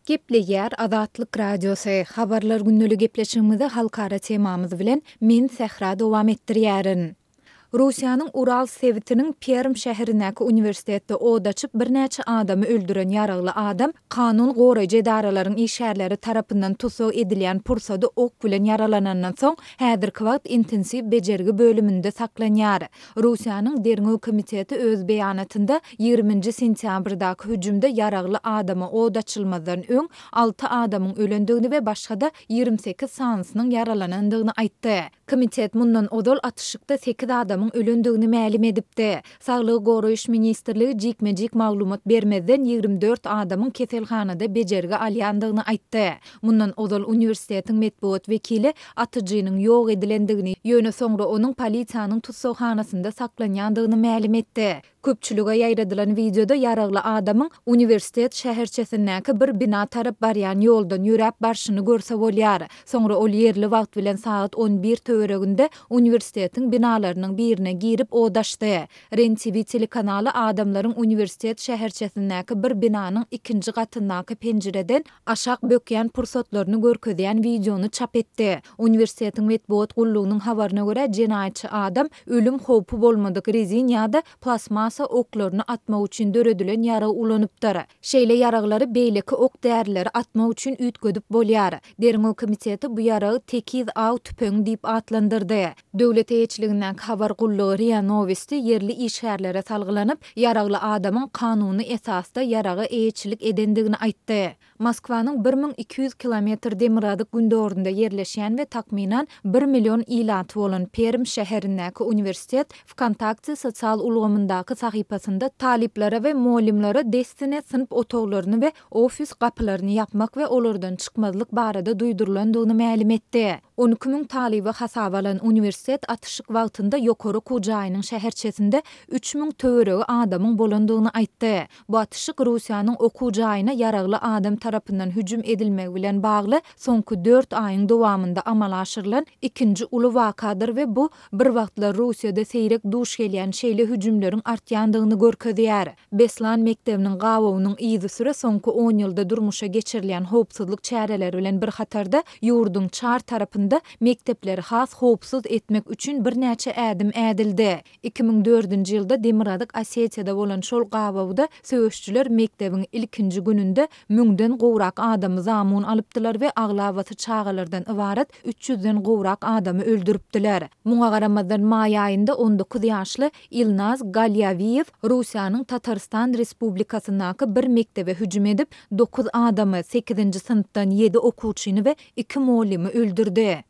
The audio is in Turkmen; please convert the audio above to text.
Gepleýär Azatlyk Radiosy, Habarlar gündeli gepleşigimizi halkara temamyz bilen men Sähra dowam etdirýärin. Russiýanyň Ural sebitiniň Perm şäherindäki uniwersitetde od açyp birnäçe adamy öldüren ýaragly adam kanun goraýjy edaralaryň işgärleri tarapyndan tussag edilýän pursady ok bilen ýaralanandan soň häzirki wagt intensiw bejergi bölüminde saklanýar. Russiýanyň Derňew komiteti öz beýanatynda ýigriminji sentýabrdaky hüjümde ýaragly adama od açylmazdan öň alty adamyň ölendigini we başga-da 28 sanysynyň ýaralanandygyny aýtdy. Komitet mundan ozal atyşykda sekiz adamyň ölendigini mälim edipdi. Saglygy goraýyş ministrligi jikme-jik maglumat bermezden 24 adamyň keselhanada bejergi alýandygyny aýtdy. Mundan ozal uniwersitetiň metbugat wekili atyjynyň ýok edilendigini, ýöne soňra onuň polisiýanyň tussaghanasynda saklanýandygyny mälim etdi. Köpçülige ýaýradylan wideoda ýaragly adamyň uniwersitet şäherçesindäki bir bina tarap barýan ýoldan ýöräp barşyny görse bolýar. Soňra ol ýerli wagt bilen sagat 11 töwereginde uniwersitetiň binalarynyň birine girip od açdy. Ren TV telekanaly adamlaryň uniwersitet şäherçesindäki bir binanyň ikinji gatyndaky penjireden aşak bökýän pursatlaryny görkezýän wideony çap etdi. Uniwersitetiň metbugat gullugynyň habaryna görä, jenaýatçy adam ölüm howpy bolmadyk rezin ýa-da plastmassa oklaryny atmak üçin döredilen ýarag ulanypdyr. Şeýle ýaraglary beýleki ok-därileri atmak üçin üýtgedip bolýar. Derňew komiteti bu ýaragy tekiz aw tüpeňi diýip atlandyrdy. Döwlet eýeçiligindäki habar gullugy RIA Nowosti ýerli işgärlere salgylanyp, ýaragly adamyň kanuny esasda ýaraga eýeçilik edendigini aýtdy. Moskwanyň 1200 kilometr demirgazyk-gündogarynda ýerleşýän we takmynan bir million ilaty bolan Perm şäherindäki uniwersitet Wkontakte sosial ulgamyndaky sahypasynda talyplara we mugallymlara dessine synp otaglaryny we ofis gapylaryny ýapmak we olardan çykmazlyk barada duýdurylandygyny mälim etdi. 12 müň talyby hasaba alan uniwersitet atyşyk wagtynda ýokary okuw jaýynyň şäherçesinde 3000 töweregi adamyň bolandygyny aýtdy. Bu atyşyk Russiýanyň okuw jaýyna ýaragly adam tarapyndan hüjüm edilmegi bilen bagly soňky dört aýyň dowamynda amala aşyrylan ikinji uly wakadyr we bu bir wagtlar Russiýada seýrek duş gelýän şeýle hüjümleriň artýandygyny görkezýär. Beslan mekdebiniň gabawynyň yzysüre soňky on ýylda durmuşa geçirilýän howpsuzlyk çäreleri bilen bir hatarda ýurduň çar tarapynda mekdepleri has howpsuz etmek üçin birnäçe ädim ädildi. 2004-nji ýylda Demirgazyk Osetiýada bolan şol gabawda söweşijiler mekdebiň ilkinji gününde müňden gowrak adamy zamun alypdylar we aglabasy çagalardan ybarat üç ýüzden gowrak adamy öldüripdiler. Muňa garamazdan maý aýynda 19 ýaşly Ilnaz Galýawiýew Russiýanyň Tatarystan Respublikasyndaky bir mekdebe hüjüm edip, dokuz adamy, sekizinji synpdan ýedi okuwçyny we iki mugallymy öldürdi.